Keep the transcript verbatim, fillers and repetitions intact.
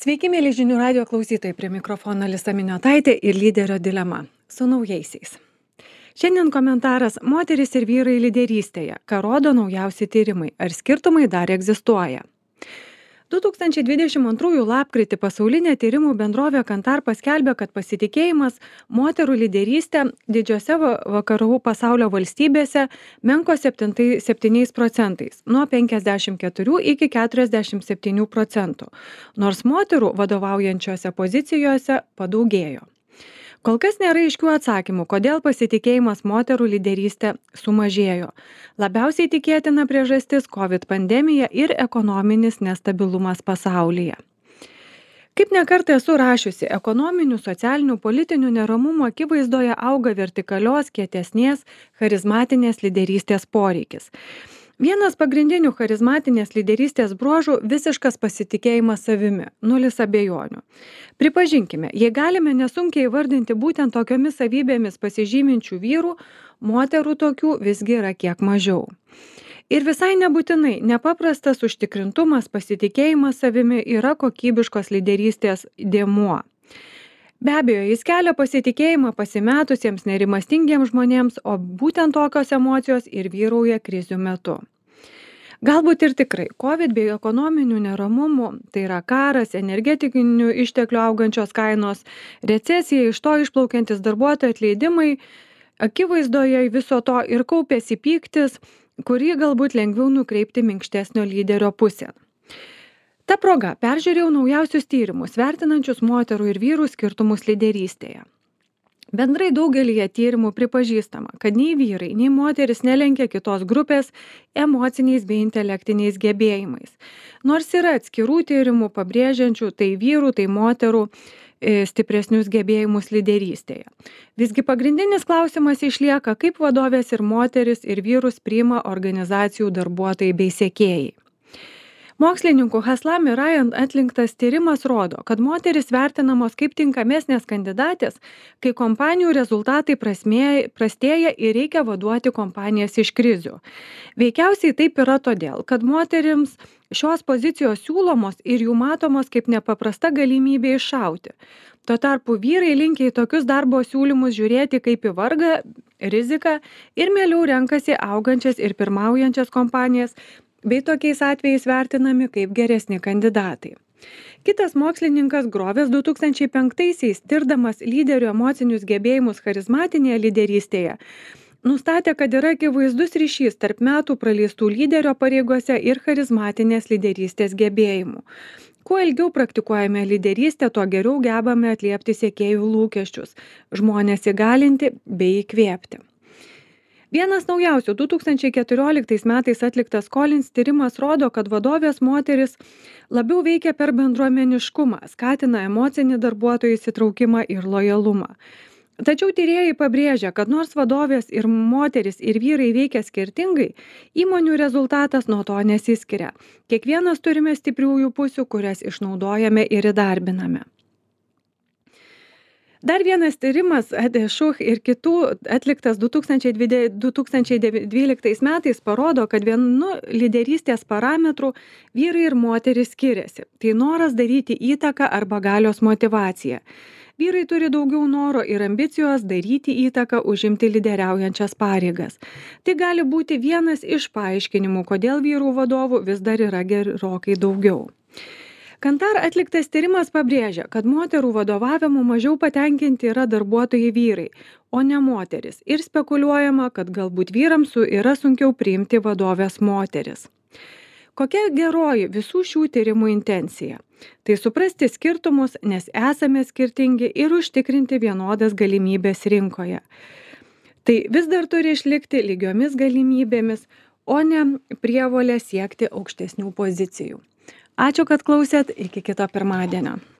Sveiki, mėly žinių radio klausytojai, prie mikrofono Alisa Miniotaitė ir lyderio dilema su naujaisiais. Šiandien komentaras moteris ir vyrai lyderystėje, ką rodo naujausi tyrimai, ar skirtumai dar egzistuoja. du tūkstančiai dvidešimt antrųjų lapkritį pasaulinė tyrimų bendrovė Kantar paskelbė, kad pasitikėjimas moterų lyderystė didžiose va- vakarų pasaulio valstybėse menko septyniais procentais, nuo penkiasdešimt keturių iki keturiasdešimt septynių procentų, nors moterų vadovaujančiose pozicijose padaugėjo. Kol kas nėra aiškių atsakymų, kodėl pasitikėjimas moterų lyderystė sumažėjo. Labiausiai tikėtina priežastis COVID pandemija ir ekonominis nestabilumas pasaulyje. Kaip nekartą esu rašiusi, ekonominių, socialinių, politinių neramumų akivaizdoje auga vertikalios, kietesnės, charizmatinės lyderystės poreikis. Vienas pagrindinių charizmatinės lyderystės bruožų - visiškas pasitikėjimas savimi, nulis abejonių. Pripažinkime, jei galime nesunkiai įvardinti būtent tokiomis savybėmis pasižyminčių vyrų, moterų tokių visgi yra kiek mažiau. Ir visai nebūtinai nepaprastas užtikrintumas, pasitikėjimas savimi yra kokybiškos lyderystės dėmuo. Be abejo, jis kelia pasitikėjimą pasimetusiems nerimastingiems žmonėms, o būtent tokios emocijos ir vyrauja krizių metu. Galbūt ir tikrai, COVID bei ekonominių neramumų, tai yra karas, energetinių išteklių augančios kainos, recesija, iš to išplaukiantis darbuotojų atleidimai, akivaizdoje viso to ir kaupėsi pyktis, kurį galbūt lengviau nukreipti minkštesnio lyderio pusėn. Ta proga peržiūrėjau naujausius tyrimus, vertinančius moterų ir vyrų skirtumus lyderystėje. Bendrai daugelyje tyrimų pripažįstama, kad nei vyrai, nei moteris nelenkia kitos grupės emociniais bei intelektiniais gebėjimais. Nors yra atskirų tyrimų pabrėžiančių tai vyrų, tai moterų e, stipresnius gebėjimus lyderystėje. Visgi pagrindinis klausimas išlieka, kaip vadovės ir moteris ir vyrus priima organizacijų darbuotojai bei sekėjai. Mokslininkų Haslam ir Ryan atliktas tyrimas rodo, kad moteris vertinamos kaip tinkamesnės kandidatės, kai kompanijų rezultatai prasmė, prastėja ir reikia vaduoti kompanijas iš krizių. Veikiausiai taip yra todėl, kad moterims šios pozicijos siūlomos ir jų matomos kaip nepaprasta galimybė iššauti. Tuo tarpu vyrai linkia į tokius darbo siūlymus žiūrėti kaip į vargą, riziką ir mieliau renkasi augančias ir pirmaujančias kompanijas, bei tokiais atvejais vertinami kaip geresni kandidatai. Kitas mokslininkas Grovės du tūkstančiai penktaisiais, tirdamas lyderių emocinius gebėjimus charizmatinėje lyderystėje, nustatė, kad yra akivaizdus ryšys tarp metų praleistų lyderio pareigose ir charizmatinės lyderystės gebėjimų. Kuo ilgiau praktikuojame lyderystę, tuo geriau gebame atliepti sekėjų lūkesčius, žmonės įgalinti bei įkvėpti. Vienas naujausių du tūkstančiai keturioliktais metais atliktas Collins tyrimas rodo, kad vadovės moteris labiau veikia per bendruomeniškumą, skatina emocinį darbuotojų įsitraukimą ir lojalumą. Tačiau tyrėjai pabrėžia, kad nors vadovės ir moteris ir vyrai veikia skirtingai, įmonių rezultatas nuo to nesiskiria. Kiekvienas turime stipriųjų pusių, kurias išnaudojame ir įdarbiname. Dar vienas tyrimas Adešuch ir kitų atliktas du tūkstančiai dvyliktais metais parodo, kad vienu lyderystės parametrų vyrai ir moteris skiriasi. Tai noras daryti įtaką arba galios motyvacija. Vyrai turi daugiau noro ir ambicijos daryti įtaką, užimti lyderiaujančias pareigas. Tai gali būti vienas iš paaiškinimų, kodėl vyrų vadovų vis dar yra gerokai daugiau. Kantar atliktas tyrimas pabrėžia, kad moterų vadovavimu mažiau patenkinti yra darbuotojai vyrai, o ne moteris. Ir spekuliuojama, kad galbūt vyrams yra sunkiau priimti vadovės moteris. Kokia geroji visų šių tyrimų intencija? Tai suprasti skirtumus, nes esame skirtingi ir užtikrinti vienodas galimybės rinkoje. Tai vis dar turi išlikti lygiomis galimybėmis, o ne prievolė siekti aukštesnių pozicijų. Ačiū, kad klausėt, iki kito pirmadienio.